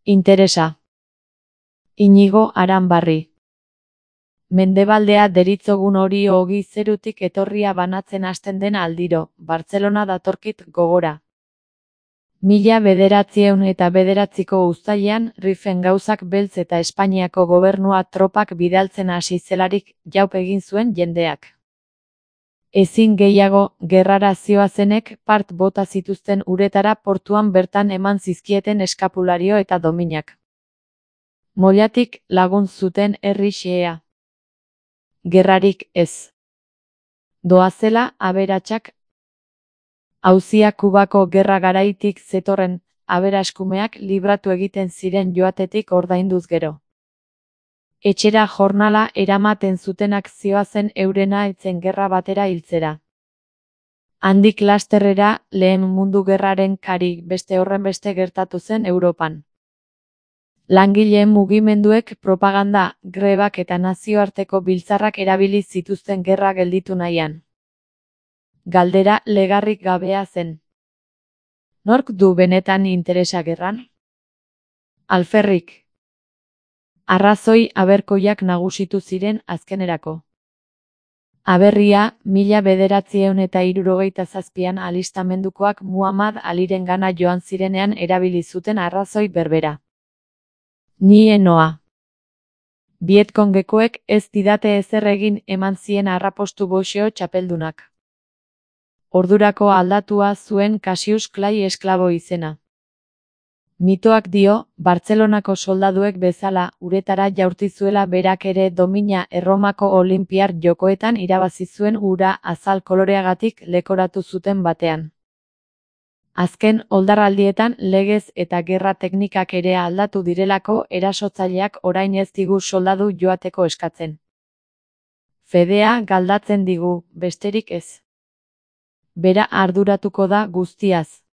Interesa. Inigo Aranbarri. Mendebaldea deritzogun hori ogi zerutik etorria banatzen hasten den aldiro, Bartzelona datorkit gogora. 1909ko uztailean, Riffen gauzak beltz eta Espainiako gobernua tropak bidaltzen hasi zelarik, jaup egin zuen jendeak. Ezin gehiago, gerrara zihoazenek part bota zituzten uretara portuan bertan eman zizkieten eskapulario eta dominak. Mollatik lagun zuten herri xehea. Gerrarik ez. Doazela aberatsak. Auzia Kubako gerra garaitik zetorren, aberaskumeak libratu egiten ziren joatetik ordainduz gero. Etxera jornala eramaten zutenak zihoazen eurena etzen gerra batera hiltzera. Handik lasterrera, Lehen Mundu Gerraren kari beste horrenbeste gertatu zen Europan. Langileen mugimenduek propaganda, grebak eta nazioarteko biltzarrak erabili zituzten gerra gelditu nahian. Galdera legarrik gabea zen. Nork du benetan interesa gerran? Alferrik. Arrazoi aberkoiak nagusitu ziren azkenerako. Aberria, 1967an alistamendukoak Muhammad Alirengana joan zirenean erabili zuten arrazoi berbera. Ni noa. Vietcongekoek ez didate ezer egin eman zien arrapostu boxeo txapeldunak. Ordurako aldatua zuen Cassius Clay esklabo izena. Mitoak dio, Bartzelonako soldaduek bezala, uretara jaurti zuela berak ere domina Erromako Olinpiar Jokoetan irabazi zuen ura azal koloreagatik lekoratu zuten batean. Azken oldarraldietan legez eta gerra teknikak ere aldatu direlako erasotzaileak orain ez digu soldadu joateko eskatzen. Fedea galdatzen digu, besterik ez. Bera arduratuko da guztiaz.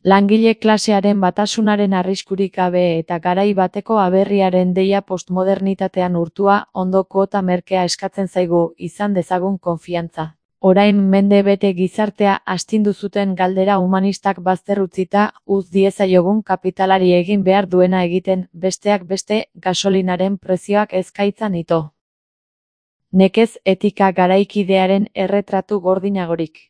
Langile klasearen batasunaren arriskurik gabe eta garai bateko aberriaren deia postmodernitatean urtua, ondo kuota merkea eskatzen zaigu, izan dezagun konfiantza. Orain mende bete gizartea astindu zuten galdera humanistak bazter utzita, uz diezaiogun kapitalari egin behar duena egiten, besteak beste, gasolinaren prezioak ezkaitzan ito. Nekez etika garaikidearen erretratu gordinagorik.